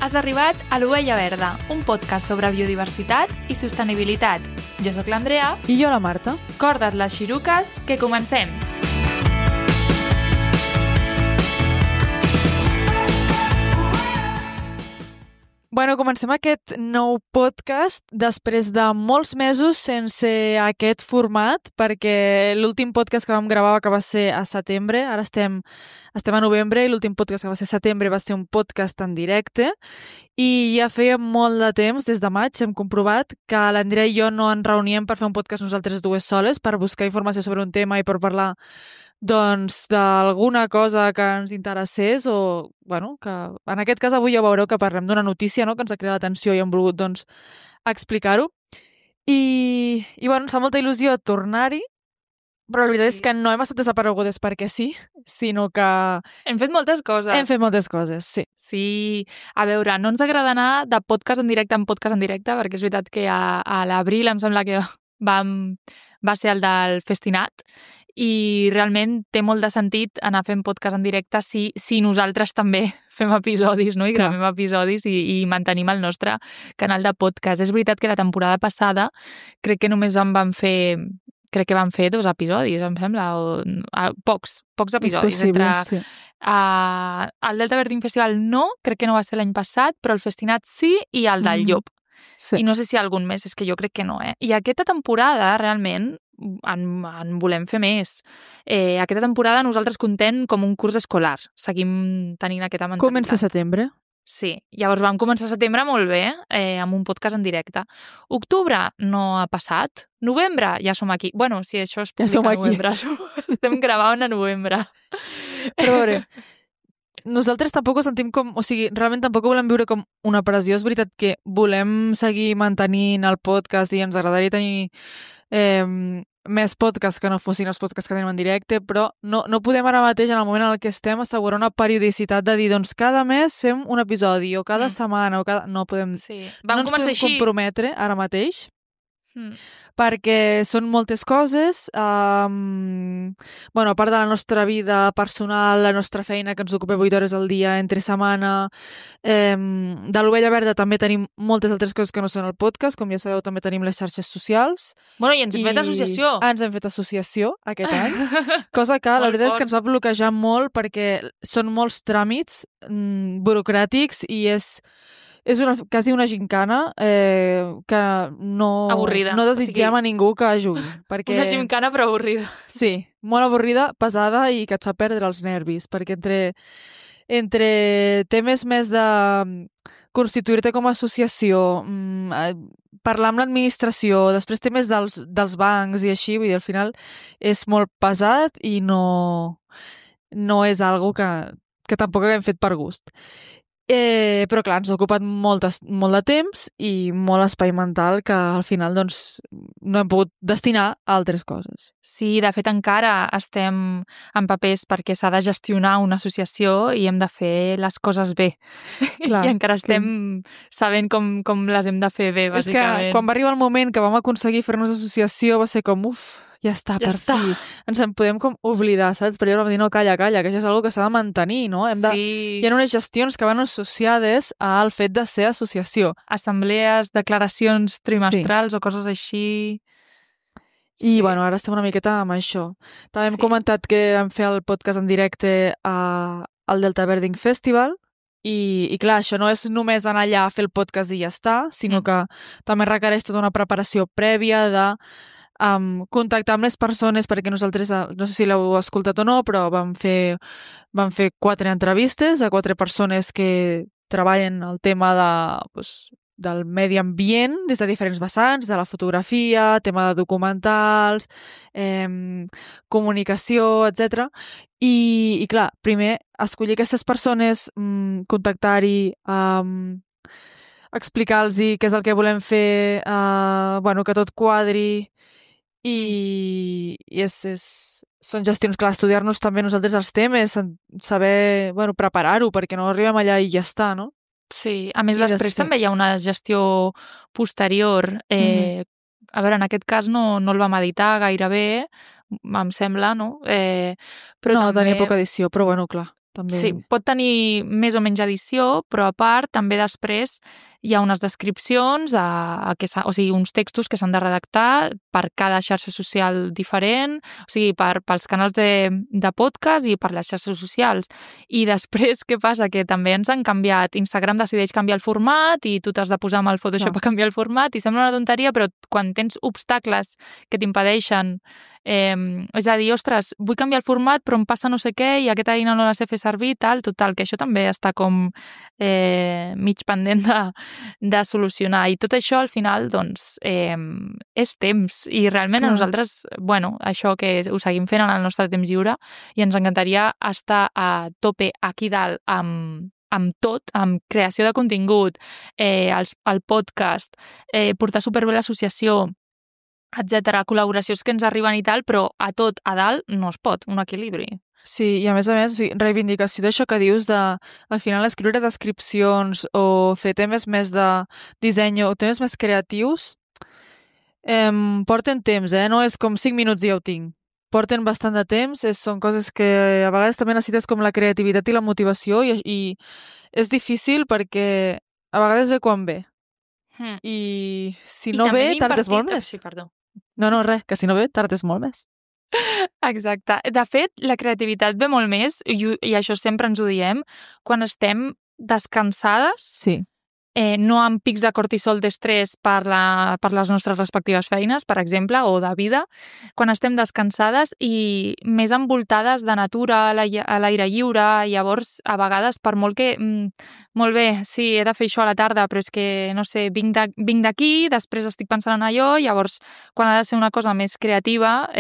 Has arribat a l'Ovella Verda, un podcast sobre biodiversitat i sostenibilitat. Jo sóc l'Andrea. I jo la Marta. Corda't les xiruques, que comencem! Bueno, comencem aquest nou podcast després de molts mesos sense aquest format, perquè l'últim podcast que vam gravar que va ser a setembre, ara estem a novembre, i l'últim podcast que va ser a setembre va ser un podcast en directe, i ja feia molt de temps, des de maig, hem comprovat que l'Andrea i jo no ens reuníem per fer un podcast nosaltres dues soles, per buscar informació sobre un tema i per parlar doncs d'alguna cosa que ens interessés o, bueno, que en aquest cas avui ja veureu que parlem d'una notícia, no?, que ens ha cridat l'atenció i hem volgut, doncs, explicar-ho. I bueno, ens fa molta il·lusió tornar-hi, però la veritat és que no hem estat desaparegudes perquè sí, sinó que Hem fet moltes coses. hem fet moltes coses, sí. Sí, a veure, no ens agrada anar de podcast en directe en podcast en directe, perquè és veritat que a l'abril em sembla que va ser el del Festinat, i realment té molt de sentit anar fent podcast en directe si nosaltres també fem episodis, no? I gravem episodis i mantenim el nostre canal de podcast. És veritat que la temporada passada crec que només vam fer 2 episodis, em sembla, pocs episodis. És possible, entre sí. el Delta Birding Festival no, crec que no va ser l'any passat, però el Festinat sí, i el del Llop. Sí. I no sé si algun més, és que jo crec que no, I aquesta temporada, realment, en volem fer més. Aquesta temporada nosaltres contem com un curs escolar. Seguim tenint aquesta mentalitat. Comença setembre. Sí, llavors vam començar setembre molt bé, amb un podcast en directe. Octubre no ha passat. Novembre ja som aquí. Bueno, si això es publica a novembre. Estem gravant a novembre. Però a veure, nosaltres tampoc ho sentim com... O sigui, realment tampoc ho volem viure com una pressió. És veritat que volem seguir mantenint el podcast i ens agradaria tenir més podcasts que no fossin els podcasts que tenim en directe, però no podem ara mateix, en el moment en què estem, assegurar una periodicitat de dir, doncs cada mes fem un episodi, o cada setmana, o cada... No podem... Sí. No ens podem comprometre ara mateix, perquè són moltes coses, bueno, a part de la nostra vida personal, la nostra feina que ens ocupa 8 hores al dia entre setmana, de l'Ovella Verda també tenim moltes altres coses que no són el podcast, com ja sabeu també tenim les xarxes socials. Bueno, i ens hem fet associació. Ens hem fet associació aquest any, cosa que la veritat és que ens va bloquejar molt perquè són molts tràmits burocràtics i és quasi una gincana que no... Avorrida. No desitgem a ningú que jugui. Perquè... Una gincana però avorrida. Sí, molt avorrida, pesada i que et fa perdre els nervis, perquè entre temes més de constituir-te com a associació, parlar amb l'administració, després temes dels bancs i així, vull dir, al final és molt pesat i no és algo que tampoc haguem fet per gust. Però clar, ens ha ocupat molt de temps i molt espai mental que al final doncs no hem pogut destinar a altres coses. Sí, de fet encara estem en papers perquè s'ha de gestionar una associació i hem de fer les coses bé. Clar, i encara estem sabent com les hem de fer bé, bàsicament. És que quan va arribar el moment que vam aconseguir fer-nos associació va ser com, ja està, per fi. Ens en podem com oblidar, saps? Però llavors vam dir, no, calla, que això és una cosa que s'ha de mantenir, no? Hi ha unes gestions que van associades al fet de ser associació. Assemblees, declaracions trimestrals o coses així. I, bueno, ara estem una miqueta amb això. També hem comentat que vam fer el podcast en directe al Delta Birding Festival i clar, això no és només anar allà a fer el podcast i ja està, sinó que també requereix tota una preparació prèvia de contactar amb les persones, perquè nosaltres, no sé si l'heu escoltat o no, però vam fer 4 entrevistes a 4 persones que treballen el tema del medi ambient des de diferents vessants, de la fotografia, tema de documentals, comunicació, etc. I clar, primer, escollir aquestes persones, contactar-hi, explicar-los què és el que volem fer, que tot quadri, i són gestions, clar, estudiar-nos també nosaltres els temes, saber preparar-ho perquè no arribem allà i ja està, no? Sí, a més després també hi ha una gestió posterior. A veure, en aquest cas no el vam editar gaire bé, em sembla, no? Però no, també... tenia poca edició, però bueno, clar. També... Sí, pot tenir més o menys edició, però a part també després hi ha unes descripcions, o sigui, uns textos que s'han de redactar per cada xarxa social diferent, o sigui, pels canals de podcast i per les xarxes socials. I després, què passa? Que també ens han canviat. Instagram decideix canviar el format i tu t'has de posar amb el Photoshop a canviar el format i sembla una tonteria, però quan tens obstacles que t'impedeixen és a dir, ostres, vull canviar el format però em passa no sé què i aquesta eina no la sé fer servir, total, que això també està com mig pendent de solucionar. I tot això, al final, doncs, és temps. I realment a nosaltres, bueno, això que ho seguim fent en el nostre temps lliure i ens encantaria estar a tope aquí dalt amb tot, amb creació de contingut, el podcast, portar superbé l'associació, etcètera, col·laboracions que ens arriben i tal, però a tot, a dalt, no es pot, un equilibri. Sí, i a més, o sigui, reivindicació d'això que dius de, al final, escriure descripcions o fer temes més de disseny o temes més creatius, porten temps, no és com 5 minuts i ja ho tinc. Porten bastant de temps, són coses que a vegades també necessites com la creativitat i la motivació i és difícil perquè a vegades ve quan ve. I si no ve, tardes molt més. Sí, perdó. No, res, que si no ve, tardes molt més. Exacte. De fet, la creativitat ve molt més, i això sempre ens ho diem, quan estem descansades, sí. No amb pics de cortisol d'estrès per les nostres respectives feines, per exemple, o de vida, quan estem descansades i més envoltades de natura, a l'aire lliure, llavors, a vegades, per molt que... molt bé, sí, he de fer això a la tarda, però és que, no sé, vinc d'aquí, després estic pensant en allò, llavors, quan ha de ser una cosa més creativa,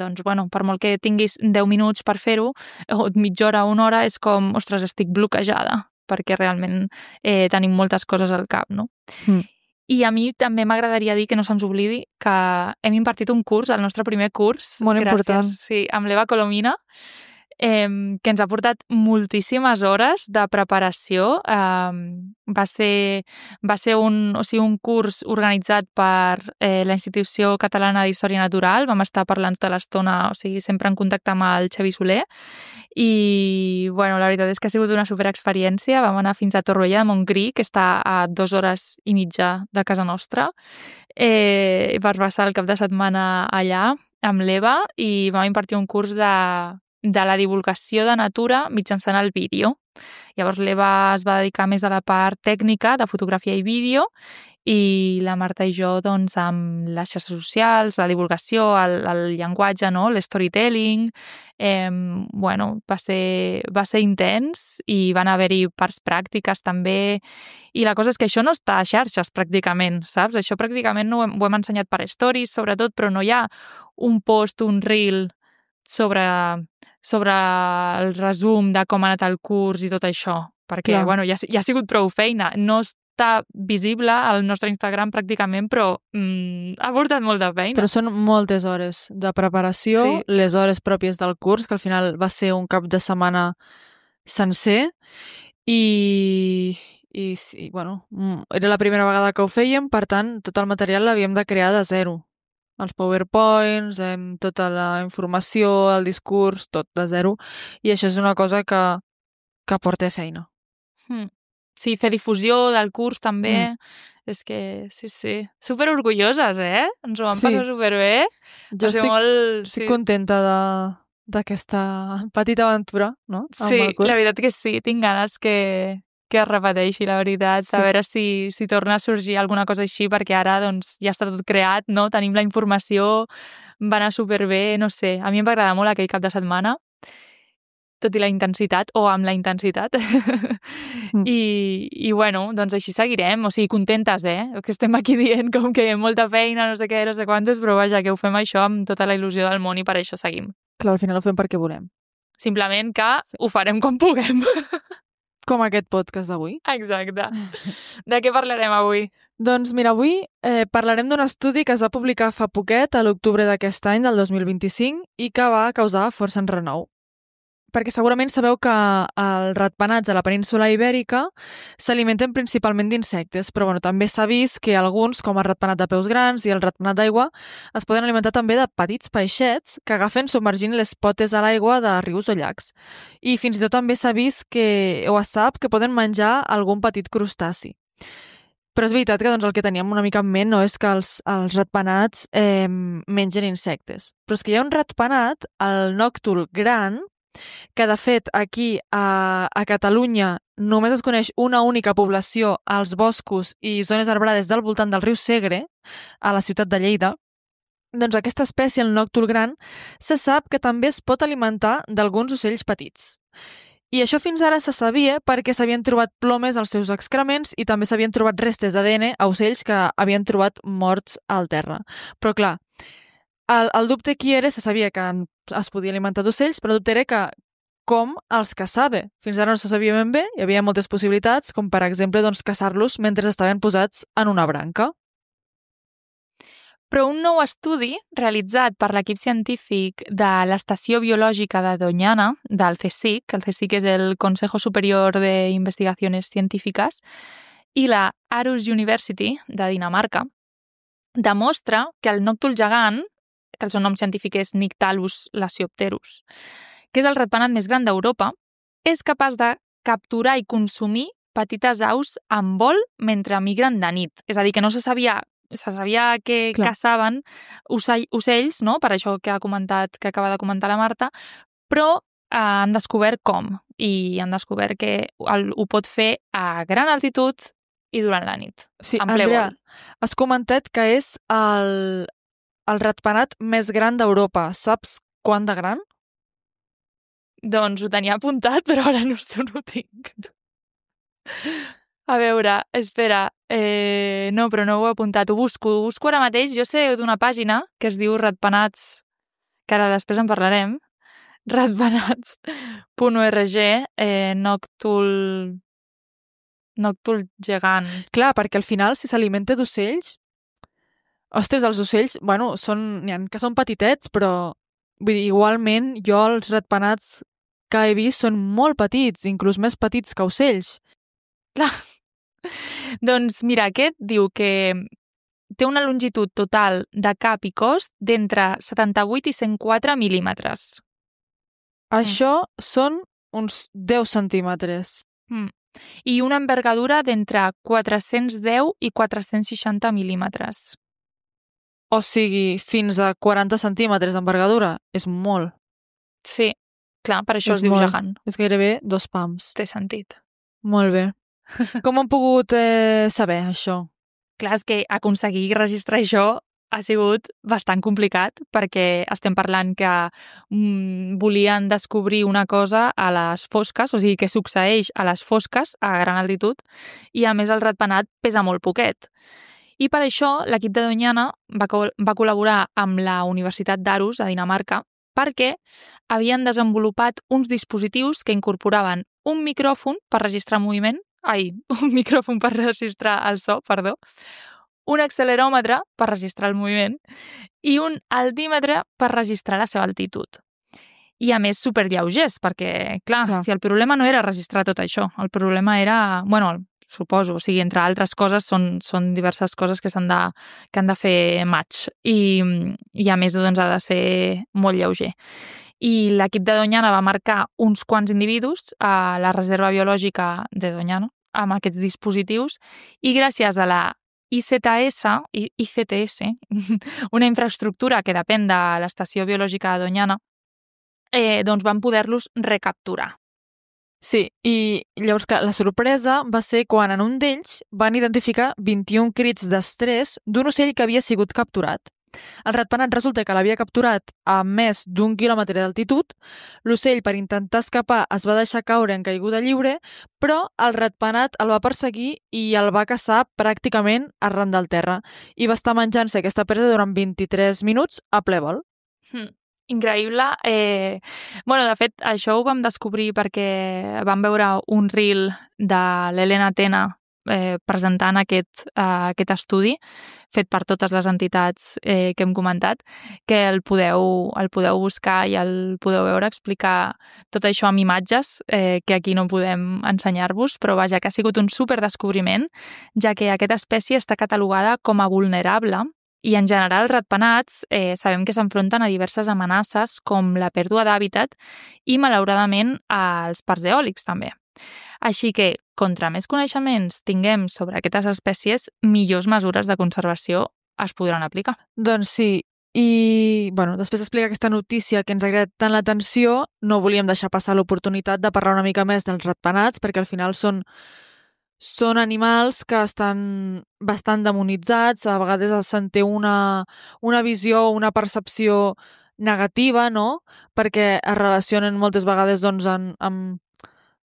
doncs, bueno, per molt que tinguis 10 minuts per fer-ho, o mitja hora o una hora, és com, ostres, estic bloquejada, perquè realment tenim moltes coses al cap, no? I a mi també m'agradaria dir que no se'ns oblidi que hem impartit un curs, el nostre primer curs, molt important. Sí, amb l'Eva Colomina, que ens ha portat moltíssimes hores de preparació. Va ser un curs organitzat per la Institució Catalana d'Història Natural. Vam estar parlant tota l'estona, o sigui, sempre en contacte amb el Xavi Soler. I, bueno, la veritat és que ha sigut una superexperiència. Vam anar fins a Torroella de Montgrí, que està a 2 hores i mitja de casa nostra, per passar el cap de setmana allà amb l'Eva, i vam impartir un curs de la divulgació de natura mitjançant el vídeo. Llavors l'Eva es va dedicar més a la part tècnica de fotografia i vídeo i la Marta i jo doncs amb les xarxes socials, la divulgació, el llenguatge, no? L'storytelling. Bueno, va ser intens i van haver-hi parts pràctiques també. I la cosa és que això no està a xarxes pràcticament, saps? Això pràcticament ho hem ensenyat per stories, sobretot, però no hi ha un post, un reel sobre el resum de com ha anat el curs i tot això, perquè bueno, ja ha sigut prou feina. No està visible al nostre Instagram pràcticament, però ha portat molta feina. Però són moltes hores de preparació, sí. Les hores pròpies del curs, que al final va ser un cap de setmana sencer, i bueno, era la primera vegada que ho fèiem, per tant, tot el material l'havíem de crear de zero. Els PowerPoints, tota la informació, el discurs, tot de zero. I això és una cosa que porta feina. Sí, fer difusió del curs també. És que, sí. Superorgulloses, Ens ho vam passar superbé. Jo estic contenta d'aquesta petita aventura, no? Sí, la veritat que sí. Tinc ganes que es repeteixi, la veritat, a veure si torna a sorgir alguna cosa així, perquè ara doncs, ja està tot creat, no? Tenim la informació, va anar superbé, no sé. A mi em va agradar molt aquell cap de setmana, tot i la intensitat, o amb la intensitat. I bueno, doncs així seguirem, o sigui, contentes, que estem aquí dient com que molta feina, no sé què, no sé quantes, però vaja, que ho fem això amb tota la il·lusió del món i per això seguim. Clar, al final ho fem perquè volem. Simplement que ho farem quan puguem. Com aquest podcast d'avui. Exacte. De què parlarem avui? Doncs mira, avui parlarem d'un estudi que es va publicar fa poquet, a l'octubre d'aquest any, del 2025, i que va causar força enrenou. perquè segurament sabeu que els ratpenats de la península ibèrica s'alimenten principalment d'insectes, però bueno, també s'ha vist que alguns, com el ratpenat de peus grans i el ratpenat d'aigua, es poden alimentar també de petits peixets que agafen submergint les potes a l'aigua de rius o llacs. I fins i tot també s'ha vist o es sap que poden menjar algun petit crustaci. Però és veritat que doncs, el que teníem una mica en ment no és que els ratpenats mengen insectes. Però és que hi ha un ratpenat, el nòctul gran, que de fet aquí a Catalunya només es coneix una única població als boscos i zones arbrades del voltant del riu Segre, a la ciutat de Lleida. Doncs aquesta espècie, el nòctul gran, se sap que també es pot alimentar d'alguns ocells petits. I això fins ara se sabia perquè s'havien trobat plomes als seus excrements i també s'havien trobat restes d'ADN a ocells que havien trobat morts al terra. Però clar, el dubte aquí era, se sabia que es podia alimentar d'ocells, però el dubte era que com els caçava. Fins ara no se sabia ben bé, hi havia moltes possibilitats, com per exemple doncs, caçar-los mentre estaven posats en una branca. Però un nou estudi realitzat per l'equip científic de l'Estació Biològica de Doñana, del CSIC, el CSIC és el Consejo Superior de Investigaciones Científiques, i la Aarhus University de Dinamarca, demostra que el nòctul gegant, que el seu nom científic és Nyctalus lasiopterus, que és el ratpenat més gran d'Europa, és capaç de capturar i consumir petites aus en vol mentre migren de nit. És a dir, que no se sabia que caçaven ocells, no? Per això que acaba de comentar la Marta, però han descobert com. I han descobert que ho pot fer a gran altitud i durant la nit. Sí, en ple Andrea, vol. has comentat que és el ratpenat més gran d'Europa. Saps quant de gran? Doncs ho tenia apuntat, però ara no ho tinc. A veure, espera, no, però no ho he apuntat, ho busco ara mateix. Jo sé d'una pàgina que es diu Ratpenats, que ara després en parlarem, ratpenats.org, nòctul gegant. Clar, perquè al final, si s'alimenta d'ocells... Ostres, els ocells, bueno, n'hi ha que són petitets, però vull dir, igualment jo els ratpenats que he vist són molt petits, inclús més petits que ocells. Clar. Doncs mira, aquest diu que té una longitud total de cap i cos d'entre 78 i 104 mil·límetres. Això són uns 10 centímetres. I una envergadura d'entre 410 i 460 mil·límetres. O sigui, fins a 40 centímetres d'envergadura. És molt. Sí, clar, per això es diu gegant. És gairebé 2 pams. Té sentit. Molt bé. Com han pogut saber això? Clar, és que aconseguir registrar això ha sigut bastant complicat perquè estem parlant que volien descobrir una cosa a les fosques, o sigui, que succeeix a les fosques a gran altitud i a més el ratpenat pesa molt poquet. I per això l'equip de Doñana va col·laborar amb la Universitat d'Aarhus a Dinamarca perquè havien desenvolupat uns dispositius que incorporaven un micròfon per registrar el so, un acceleròmetre per registrar el moviment i un altímetre per registrar la seva altitud. I a més superllaugers, perquè, clar, si el problema no era registrar tot això, el problema era, suposo, o sigui, entre altres coses, són diverses coses que han de fer match i a més doncs, ha de ser molt lleuger. I l'equip de Doñana va marcar uns quants individus a la reserva biològica de Doñana amb aquests dispositius i gràcies a la ICTS, una infraestructura que depèn de l'Estació Biològica de Doñana, doncs van poder-los recapturar. Sí, i llavors, clar, la sorpresa va ser quan en un d'ells van identificar 21 crits d'estrès d'un ocell que havia sigut capturat. El ratpenat resulta que l'havia capturat a més d'1 quilòmetre d'altitud. L'ocell, per intentar escapar, es va deixar caure en caiguda lliure, però el ratpenat el va perseguir i el va caçar pràcticament arran del terra. I va estar menjant-se aquesta presa durant 23 minuts a ple vol. Increïble. De fet, això ho vam descobrir perquè vam veure un reel de l'Helena Tena presentant aquest estudi fet per totes les entitats que hem comentat, que el podeu buscar i el podeu veure, explicar tot això amb imatges que aquí no podem ensenyar-vos, però vaja, que ha sigut un superdescobriment, ja que aquesta espècie està catalogada com a vulnerable i en general els ratpenats sabem que s'enfronten a diverses amenaces com la pèrdua d'hàbitat i malauradament als parcs eòlics també. Així que, contra més coneixements tinguem sobre aquestes espècies, millors mesures de conservació es podran aplicar. Doncs sí, i després d'explicar aquesta notícia que ens ha agradat tant l'atenció, no volíem deixar passar l'oportunitat de parlar una mica més dels ratpenats, perquè al final són animals que estan bastant demonitzats, a vegades se'n té una visió o una percepció negativa, no? Perquè es relacionen moltes vegades doncs,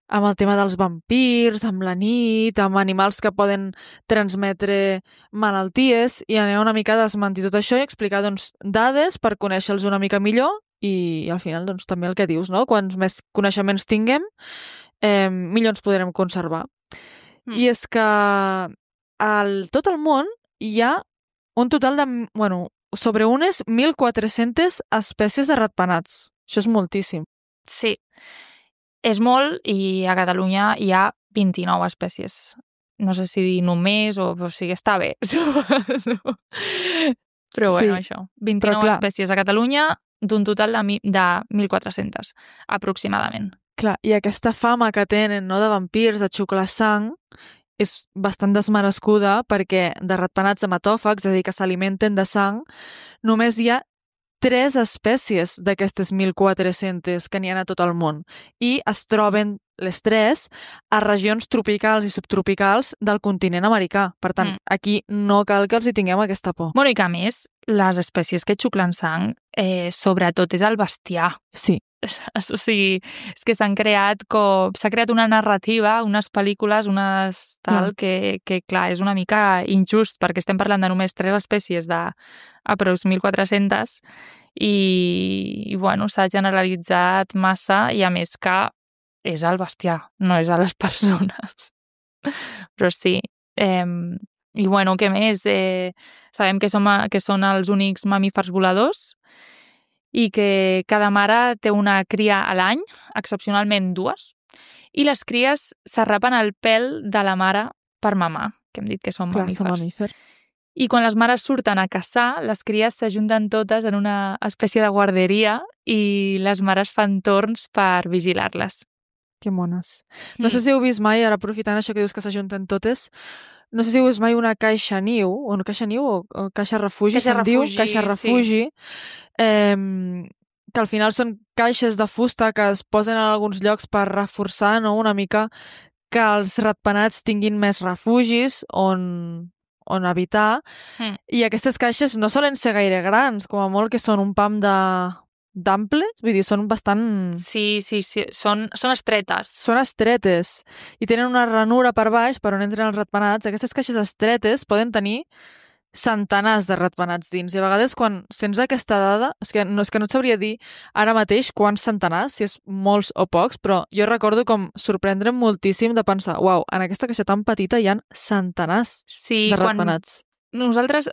amb el tema dels vampirs, amb la nit, amb animals que poden transmetre malalties, i anem una mica a desmentir tot això i explicar doncs, dades per conèixer-los una mica millor i al final doncs, també el que dius, no? Quants més coneixements tinguem, millor ens podrem conservar. I és que tot el món hi ha un total de, sobre unes 1.400 espècies de ratpenats. Això és moltíssim. Sí, és molt, i a Catalunya hi ha 29 espècies. No sé si dir només o sigui, està bé. Però bueno, sí, això. 29 espècies a Catalunya d'un total de 1.400, aproximadament. Clar, i aquesta fama que tenen, no, de vampirs, de xuclar sang, és bastant desmerescuda perquè de ratpenats hematòfags, és a dir, que s'alimenten de sang, només hi ha 3 espècies d'aquestes 1.400 que n'hi ha a tot el món i es troben les 3 a regions tropicals i subtropicals del continent americà. Per tant, aquí no cal que els hi tinguem aquesta por. I que a més, les espècies que xuclen sang, sobretot és el bestiar. Sí. O sigui, és que s'ha creat una narrativa, unes pel·lícules, que clar, és una mica injust, perquè estem parlant de només 3 espècies d'aprox 1.400 i s'ha generalitzat massa, i a més que és el bestiar, no és a les persones. Però sí. I què més? Sabem que són els únics mamífers voladors i que cada mare té una cria a l'any, excepcionalment 2, i les cries s'arrapen el pèl de la mare per mamar, que hem dit que són mamífers. I quan les mares surten a caçar, les cries s'ajunten totes en una espècie de guarderia i les mares fan torns per vigilar-les. Que mones. No sé si heu vist mai, ara aprofitant això que dius que s'ajunten totes, no sé si heu vist mai una caixa niu o caixa refugi, caixa refugi, que al final són caixes de fusta que es posen en alguns llocs per reforçar, no, una mica que els ratpenats tinguin més refugis on habitar, i aquestes caixes no solen ser gaire grans, com a molt que són un pam d'amples, vull dir, són bastant... Sí, són estretes. Són estretes, i tenen una ranura per baix per on entren els ratpenats. Aquestes caixes estretes poden tenir centenars de ratpenats dins, i a vegades quan sents aquesta dada, és que no et sabria dir ara mateix quants centenars, si és molts o pocs, però jo recordo com sorprendre'm moltíssim de pensar, uau, en aquesta caixa tan petita hi ha centenars de ratpenats. Nosaltres,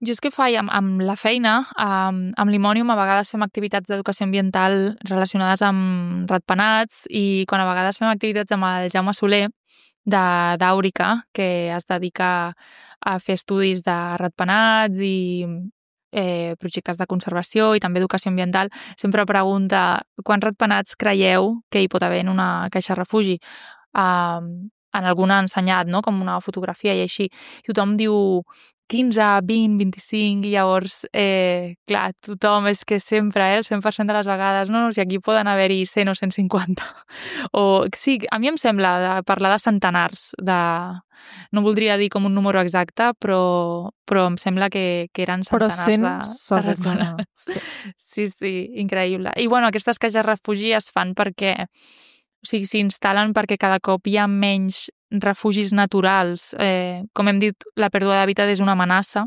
jo és que faig amb la feina, amb l'Imònium, a vegades fem activitats d'educació ambiental relacionades amb ratpenats, i quan a vegades fem activitats amb el Jaume Soler, d'Àurica, que es dedica a fer estudis de ratpenats i projectes de conservació i també educació ambiental, sempre pregunta quants ratpenats creieu que hi pot haver en una caixa refugi. En alguna ha ensenyat, no?, com una fotografia i així. Tothom diu 15, 20, 25, i llavors, clar, tothom és que sempre, el 100% de les vegades, no, si aquí poden haver-hi 100 o 150. Sí, a mi em sembla parlar de centenars, no voldria dir com un número exacte, però em sembla que eren centenars de ratpenats. Sí, increïble. I aquestes caixes refugi es fan perquè s'instal·len perquè cada cop hi ha menys refugis naturals. Com hem dit, la pèrdua d'hàbitat és una amenaça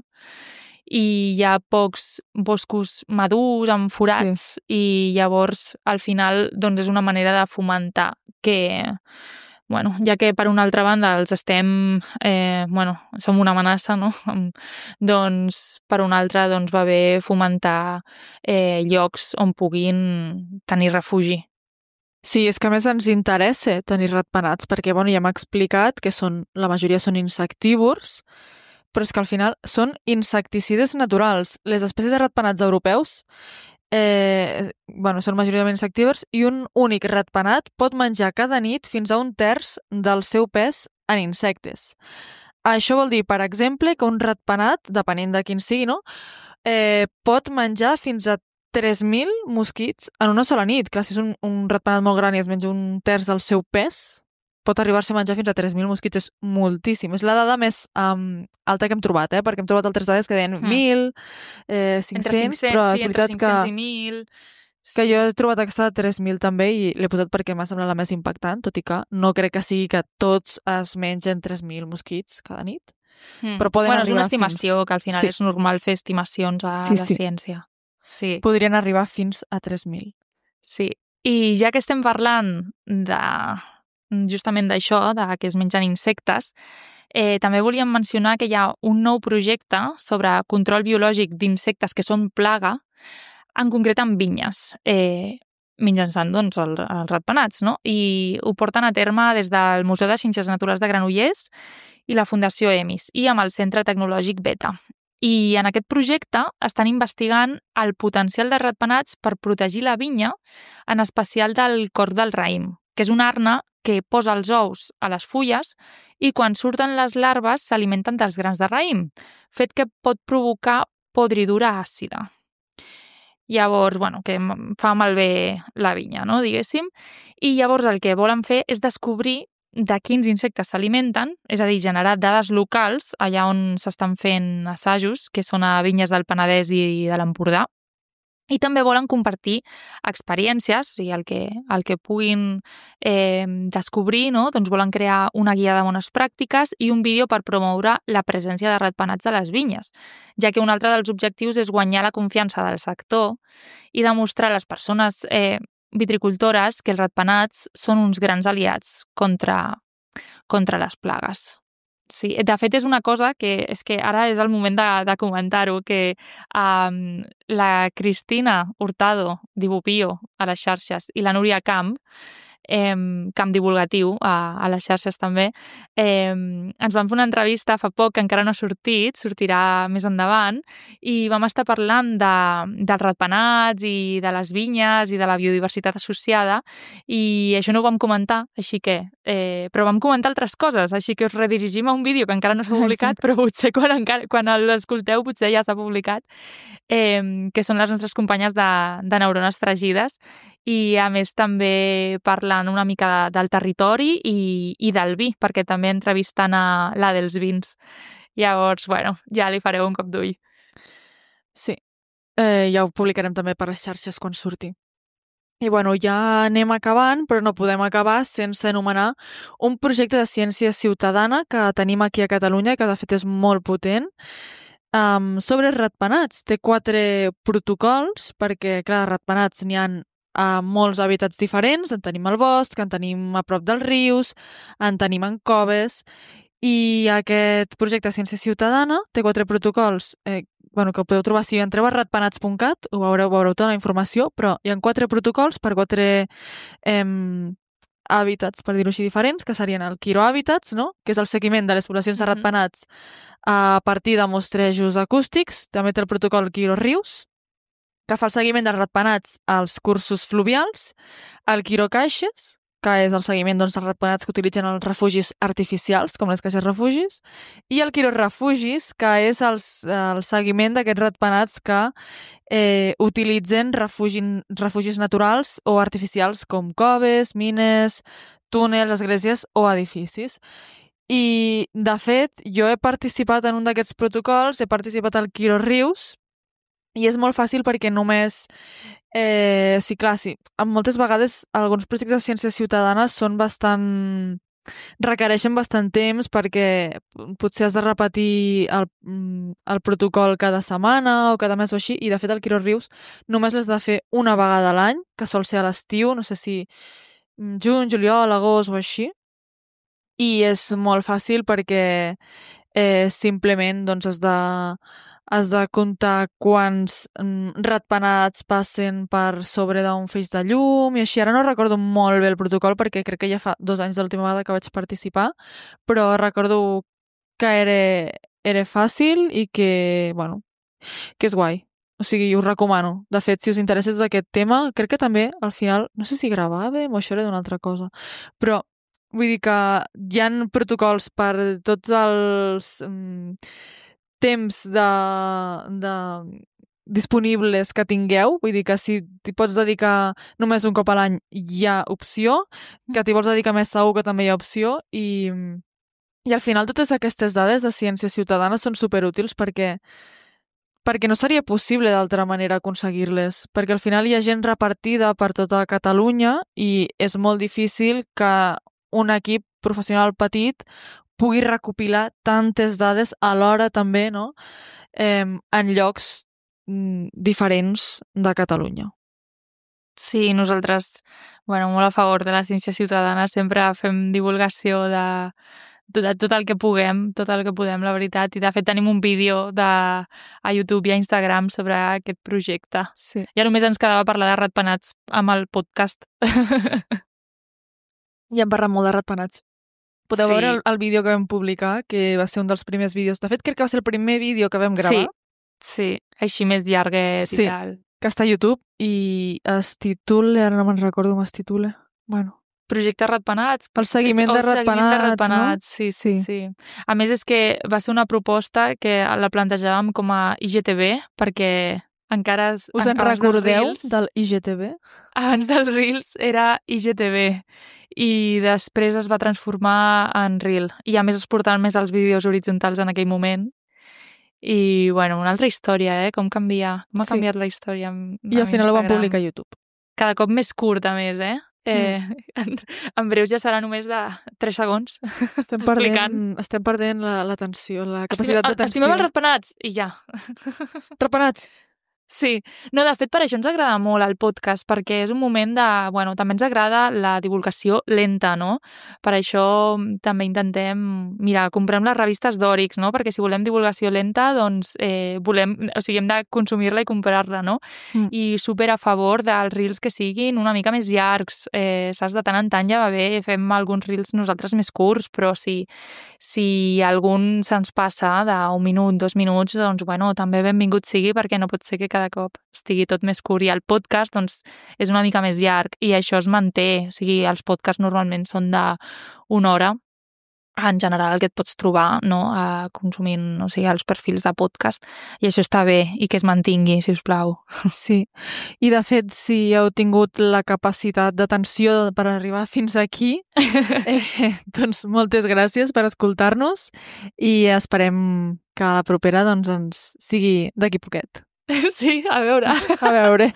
i hi ha pocs boscos madurs amb forats, i llavors al final doncs és una manera de fomentar que bueno, ja que per una altra banda els estem, som una amenaça, no? Doncs per una altra doncs, va bé fomentar llocs on puguin tenir refugi. Sí, és que a més ens interessa tenir ratpenats, perquè ja m'ha explicat que la majoria són insectívors, però és que al final són insecticides naturals. Les espècies de ratpenats europeus són majoritàriament insectívors i un únic ratpenat pot menjar cada nit fins a 1/3 del seu pes en insectes. Això vol dir, per exemple, que un ratpenat, depenent de quin sigui, no? Pot menjar fins a 3.000 mosquits en una sola nit. Clar, si és un ratpenat molt gran i es menja 1/3 del seu pes, pot arribar-se a menjar fins a 3.000 mosquits. És moltíssim. És la dada més alta que hem trobat, perquè hem trobat altres dades que deien 1.000, 500, però és veritat entre 500 i 1.000... que jo he trobat aquesta de 3.000 també i l'he posat perquè m'ha semblat la més impactant, tot i que no crec que sigui que tots es mengen 3.000 mosquits cada nit. Però poden arribar és una estimació, que al final és normal fer estimacions a la ciència. Sí. Podrien arribar fins a 3.000. Sí. I ja que estem parlant justament d'això, que es mengen insectes, també volíem mencionar que hi ha un nou projecte sobre control biològic d'insectes que són plaga, en concret amb vinyes, mitjançant doncs, els ratpenats, no? I ho porten a terme des del Museu de Ciències Naturals de Granollers i la Fundació EMIS i amb el Centre Tecnològic Beta. I en aquest projecte estan investigant el potencial de ratpenats per protegir la vinya, en especial del corc del raïm, que és una arna que posa els ous a les fulles i quan surten les larves s'alimenten dels grans de raïm, fet que pot provocar podridura àcida. Llavors, que fa malbé la vinya, no, diguéssim. I llavors el que volen fer és descobrir de quins insectes s'alimenten, és a dir, generar dades locals allà on s'estan fent assajos, que són a vinyes del Penedès i de l'Empordà. I també volen compartir experiències, i el que puguin descobrir, no? Doncs volen crear una guia de bones pràctiques i un vídeo per promoure la presència de ratpenats a les vinyes, ja que un altre dels objectius és guanyar la confiança del sector i demostrar a les persones vitricultores que els ratpenats són uns grans aliats contra les plagues. Sí, de fet és una cosa que és que ara és el moment de comentar-ho, que la Cristina Hurtado d'Ibupio a les xarxes i la Núria Camp divulgatiu a les xarxes també, ens van fer una entrevista fa poc que encara no ha sortit, sortirà més endavant, i vam estar parlant dels ratpenats i de les vinyes i de la biodiversitat associada, i això no ho vam comentar, així que però vam comentar altres coses, així que us redirigim a un vídeo que encara no s'ha publicat, però potser quan l'escolteu potser ja s'ha publicat, que són les nostres companyes de Neurones Fregides, i a més també parlant una mica del territori i del vi, perquè també entrevistant a la dels vins. Llavors, ja li fareu un cop d'ull. Sí, ja ho publicarem també per les xarxes quan surti. I ja anem acabant, però no podem acabar sense anomenar un projecte de ciència ciutadana que tenim aquí a Catalunya, que de fet és molt potent, sobre ratpenats. Té 4 protocols, perquè, clar, ratpenats n'hi ha a molts hàbitats diferents, en tenim al bosc, en tenim a prop dels rius, en tenim en coves, i aquest projecte de ciència ciutadana té 4 protocols que podeu trobar si entreu a ratpenats.cat, ho veureu tota la informació, però hi ha 4 protocols per 4 hàbitats, per dir-ho així, diferents, que serien el quirohàbitats, no? Que és el seguiment de les poblacions de ratpenats a partir de mostrejos acústics. També té el protocol quirorius, que fa el seguiment dels ratpenats als cursos fluvials, el quirocaixes, que és el seguiment dels ratpenats que utilitzen els refugis artificials, com les caixes refugis, i el quirorefugis, que és el seguiment d'aquests ratpenats que utilitzen refugis naturals o artificials com coves, mines, túnels, esglésies o edificis. I, de fet, jo he participat en un d'aquests protocols, he participat al quirorius, i és molt fàcil perquè només... moltes vegades alguns projectes de ciència ciutadana requereixen bastant temps perquè potser has de repetir el protocol cada setmana o cada mes o així, i de fet el quirorius només l'has de fer una vegada a l'any, que sol ser a l'estiu, no sé si juny, juliol, agost o així, i és molt fàcil perquè simplement doncs, has de comptar quants ratpenats passen per sobre d'un feix de llum i així. Ara no recordo molt bé el protocol perquè crec que ja fa 2 anys de l'última vegada que vaig participar, però recordo que era fàcil i que, bueno, que és guai. O sigui, us recomano. De fet, si us interessa tot aquest tema, crec que també, al final, no sé si gravàvem o això era d'una altra cosa, però vull dir que hi ha protocols per tots els temps disponibles que tingueu, vull dir que si t'hi pots dedicar només un cop a l'any hi ha opció, que t'hi vols dedicar més segur que també hi ha opció i al final totes aquestes dades de ciència ciutadana són superútils perquè no seria possible d'altra manera aconseguir-les, perquè al final hi ha gent repartida per tota Catalunya i és molt difícil que un equip professional petit pugui recopilar tantes dades alhora també, no? En llocs diferents de Catalunya. Sí, nosaltres, bueno, molt a favor de la ciència ciutadana, sempre fem divulgació de tot el que puguem, tot el que podem, la veritat. I de fet tenim un vídeo a YouTube i a Instagram sobre aquest projecte. Sí. Ja només ens quedava parlar de ratpenats amb el podcast. Ja hem parlat molt de ratpenats. Podeu veure el vídeo que vam publicar, que va ser un dels primers vídeos. De fet, crec que va ser el primer vídeo que vam gravar. Sí, així més llarguet i tal. Que està a YouTube i es titula, ara no me'n recordo com es titula. Bueno, Projecte Ratpenats. El seguiment de ratpenats, no? Sí. A més, és que va ser una proposta que la plantejàvem com a IGTV, perquè encara... Us en recordeu del IGTV? Abans dels Reels era IGTV i després es va transformar en Reel. I a més es portaven més els vídeos horitzontals en aquell moment. I, bueno, una altra història, com canvia. Com ha canviat la història I al final ho van publicar a YouTube. Cada cop més curt, a més, en breus ja serà només de 3 segons. Estem perdent l'atenció, la capacitat d'atenció. Estimem els ratpenats i ja. Ratpenats! Sí. No, de fet, per això ens agrada molt el podcast, perquè és un moment de... Bueno, també ens agrada la divulgació lenta, no? Per això també intentem... Mira, comprem les revistes d'Òrix, no? Perquè si volem divulgació lenta, doncs volem... O sigui, hem de consumir-la i comprar-la, no? I super a favor dels reels que siguin una mica més llargs. Saps? De tant en tant ja va bé, fem alguns reels nosaltres més curts, però si algun se'ns passa d'1 minut, 2 minuts, doncs, bueno, també benvingut sigui, perquè no pot ser que cada cop estigui tot més curt. I el podcast, doncs, és una mica més llarg i això es manté. O sigui, els podcasts normalment són d'1 hora. En general, el que et pots trobar, no?, consumint, o sigui, els perfils de podcast. I això està bé i que es mantingui, si us plau. Sí. I, de fet, si heu tingut la capacitat d'atenció per arribar fins aquí, doncs moltes gràcies per escoltar-nos i esperem que a la propera doncs, ens sigui d'aquí poquet. Sí, a veure. A veure.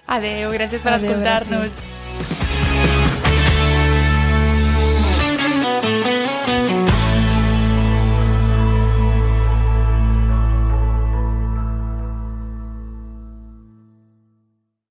Adéu, gràcies per escoltar-nos. Gràcies.